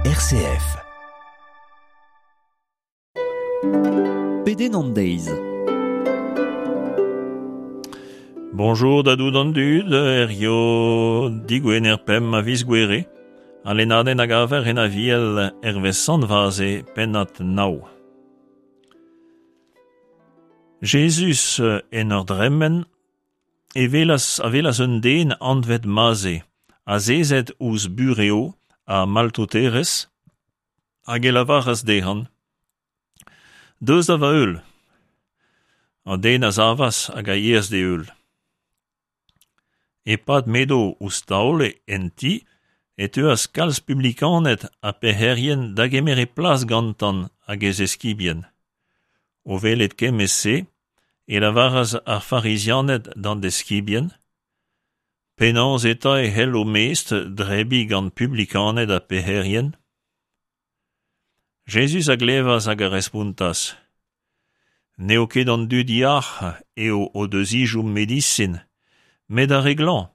RCF. Pedenn an deiz. Bonjour da dout an dud, herrio digwener pemp a viz Gouere, ha lennadenn a gaver en Aviel hervez Sant Vaze, pennad nav. Jezuz, en ur dremen, e welas, a welas un den anvet Maze, azezet ouzh burev ha maltoterezh, hag e lavaras dezhañ Deus da va heul. An den a savas hag a yeas d'e heul. E-pad m'edo ouzh taol en ti e teuas kalz publikaned ha pec'herien da gemer e plas gantañ hag e zeskibien. O welet kement-se e lavaras ar farizianed d'an deskibien Penaos eta e c'hell ho mestr drebiñ gant publikaned ha pec'herien? Jezuz a glevas hag a respontas N'eo ket an dud yac'h eo o deus ezhomm medisin, met ar re glañv.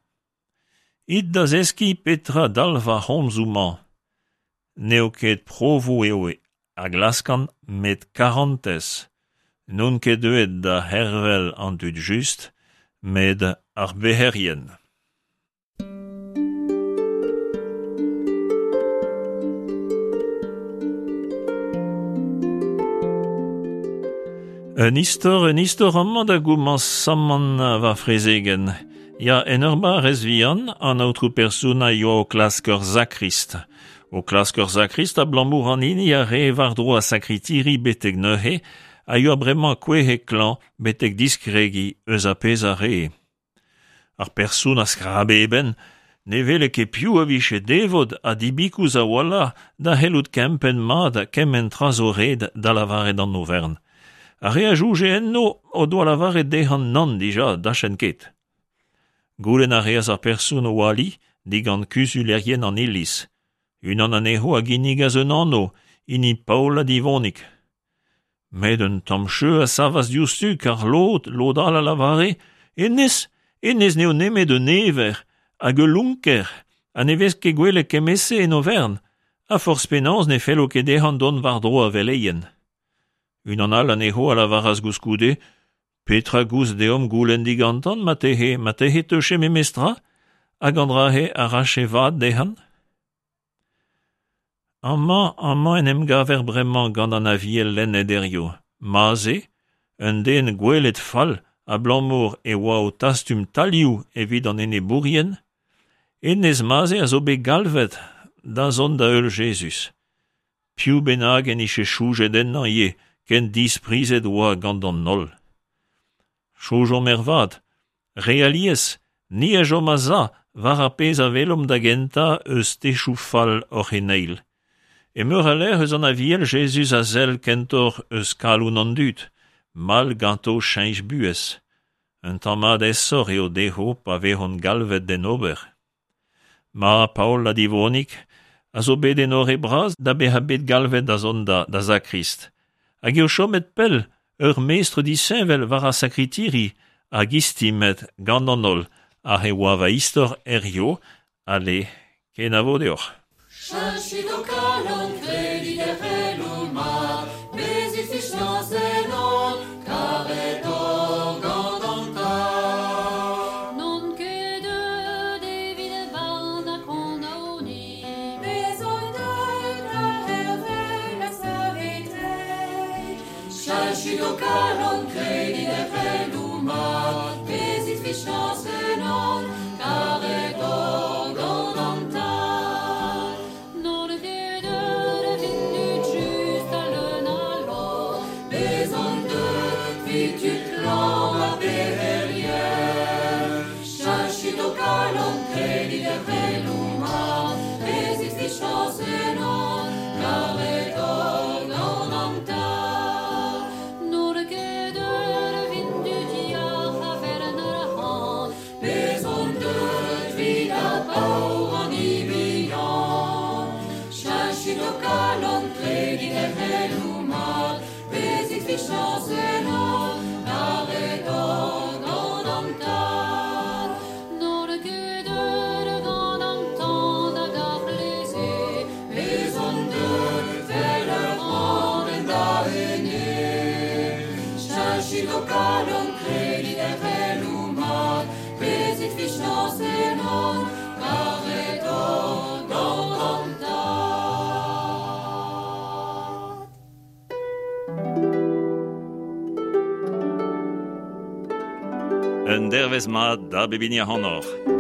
It da zeskiñ petra dalv ar c'homzoù-mañ. N'eo ket provoù eo a glaskan met karantez. N'on ket deuet da c'hervel an dud just, met ar bec'herien. Un istor, un istor amañ da gomañsamant va frezegenn. Ya, en ur barrez vihan, an aotrou person a yoa o klask ur sakrist. O klask ur sakrist abalamour an hini a rae war-dro ar sakritiri betek neuze a yoa bremañ kouezhet klañv betek diskregiñ eus ar pezh a rae. Ar person a skrabe e benn, ne wele ket piv a vije devot ha dibikous a-walc'h da c'hellout kempenn mat kement tra zo ret da lavaret an overn. Ar re a soñje enno o doa lavaret dezhañ nann dija, dachenn ket. Goulenn a reas ar person o ali digant kuzulerien an iliz. Unan anezho a ginnigas un anv, hini Paol ha Divonig. Met un tamm cheu a savas diouzhtu kar lod, lod all a lavare hennezh, hennezh n'eo nemet un ever hag ul lonker ha ne vez ket gwelet kement-se en overn, ha forzh penaos ne fello ket dezhañ dont war-dro ar veleien. Unan all anezho a lavaras gouskoude Petra 'goust deomp goulenn digantañ marteze, marteze 'teuche memestra hag an dra-se a rache vad dezhañ? Amañ, amañ en em gaver bremañ gant an Aviel lennet hiziv. Maze, un den gwelet fall abalamour e oa o tastum talioù evit an enebourien, hennezh Maze a zo bet galvet da zont da heul Jezuz. Piv bennak en dije soñjet ennañ ivez ken disprizet oa gant an holl. Soñjomp ervat, Re alies, ni a chom a-za war ar pezh a welomp da gentañ eus techoù fall hor c'heneil. E meur a lec'h eus an Aviel Jezuz a sell kentoc'h eus kalon an dud, mall ganto cheñch buhez. Un tamm mat aesoc'h eo dezho pa vezont galvet d'en ober. Ma Paol ha Divonig a zo bet enoret bras da bezañ bet galvet da zont da sakrist, hag eo chomet pell ur mestr disheñvel war ar sakritiri hag istimet gant an holl, aze e oa va istor hiziv, ale, kenavo deoc'h. Cheñchit ho kalon, kredit er c'heloù mat, bezit fiziañs ennon, karet oc'h gant an Tad. N'on ket deuet evit barn ha kondaoniñ. Bez on deuet da c'hervel ha saveteiñ. Cheñchit ho kalon, kredit er c'heloù mat, bezit fiziañs ennon, karet oc'h gant an Tad. N'on ket deuet evit tud just ha leun a lorc'h. Bez on deuet evit tud klañv ha pec'herien. Cheñchit ho kalon, kredit er c'heloù mat, bezit fiziañs ennon, karet oc'h gant an Tad. N'on ket deuet evit tud yac'h a vern ar c'han. Bez on deuet evit ar paour an bihan. Cheñchit ho kalon, kredit er c'heloù mat, bezit fiziañs ennon, karet oc'h gant an Tad. N'on ket deuet gant an tan hag ar c'hleze. Bez on kalon, kredit er c'heloù mat, bezit fichañs ennon, karet oc'h gant an Tad. Un dervezh mat da bep hini ac'hanoc'h.